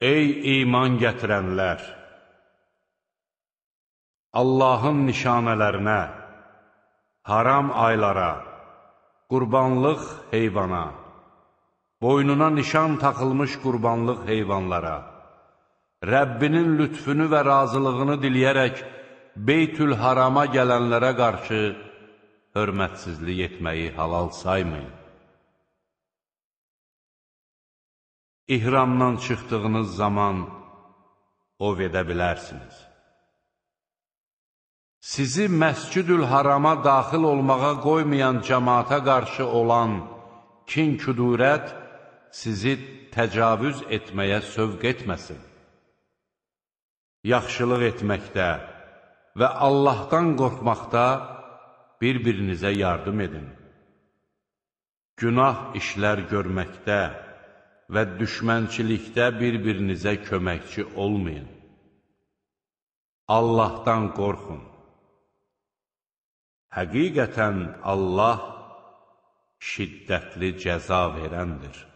Ey iman gətirənlər! Allahın nişanələrinə, haram aylara, qurbanlıq heyvana, boynuna nişan taxılmış qurbanlıq heyvanlara, Rəbbinin lütfünü və razılığını diləyərək Beytül Harama gələnlərə qarşı hörmətsizlik etməyi halal saymayın. İhramdan çıxdığınız zaman ov edə bilərsiniz. Sizi Məscid-ül Harama daxil olmağa qoymayan cəmaata qarşı olan kin-küdurət sizi təcavüz etməyə sövq etməsin. Yaxşılıq etməkdə və Allahdan qorxmaqda bir-birinizə yardım edin. Günah işlər görməkdə və düşmənçilikdə bir-birinizə köməkçi olmayın. Allahdan qorxun. Həqiqətən Allah şiddətli cəza verəndir.